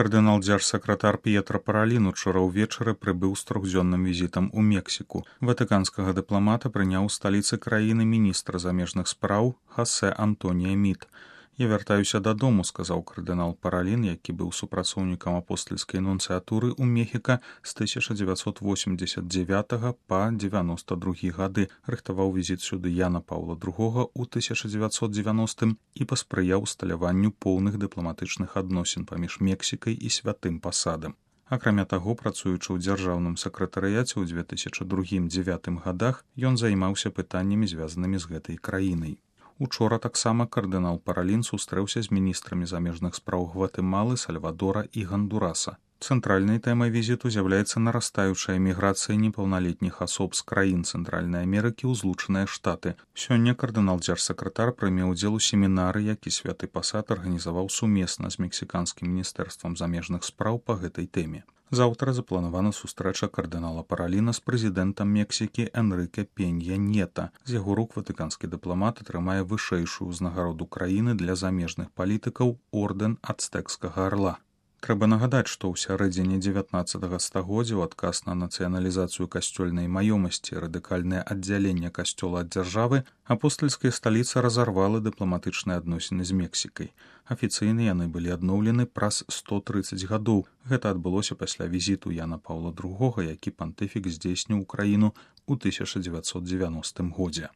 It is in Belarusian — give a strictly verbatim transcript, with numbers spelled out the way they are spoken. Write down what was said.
Кардынал дзяржсакратар П'етра Паралін учора ўвечары прыбыў з трохдзённым візітам у Мексіку. Ватыканскага дыпламата прыняў у сталіцы краіны міністр замежных спраў Хосе Антонія Міт. «Я вяртаюся дадому», — сказаў кардынал Паралін, які быў супрацоўнікам апостальскай нунцыятуры ў Мехіка з тысяча дзевяцьсот восемьдесят девятага па девяносто другі гады, рыхтаваў візіт сюды Яна Паўла другога ў тысяча дзевяцьсот девяностым і паспрыяў усталяванню поўных дыпламатычных адносін паміж Мексікай і святым пасадам. Акрамя таго, працуючы ў дзяржаўным сакратарыяце ў две тысячи другім — две тысячи дзевятым гадах, ён займаўся пытаннямі, звязанымі з гэтай краінай. Учора таксама кардынал Паралін сустрэўся з міністрамі замежных спраў Гватэмалы, Сальвадора і Гандураса. Цэнтральнай тэмай візіту з'яўляецца нарастаючая міграцыя непаўналетніх асоб з краін Цэнтральнай Амерыкі ў Злучаныя Штаты. Сёння кардынал дзяржсакратар прыме ўдзел у семінары, які святы пасад арганізаваў сумесна з мексіканскім міністэрствам замежных спраў па гэтай тэме. Заўтра запланавана сустрэча кардынала Параліна з прэзідэнтам Мексікі Энрыке Пенья Нета. З яго рук ватыканскі дыпламат атрымае вышэйшую ўзнагароду краіны для замежных палітыкаў ордэн ацтэкскага арла. Трэба нагадаць, што ў сярэдзіне дзевятнаццатага стагоддзя ў адказ на нацыяналізацыю касцёльнай маёмасці, радыкальнае аддзяленне касцёла ад дзяржавы, апостальская сталіца разарвала дыпламатычныя адносіны з Мексікай. Афіцыйна яны былі адноўлены праз сто трыццаць гадоў. Гэта адбылося пасля візіту Яна Паўла другога, які пантыфік здзейсніў у краіну ў тысяча дзевяцьсот девяностым годзе.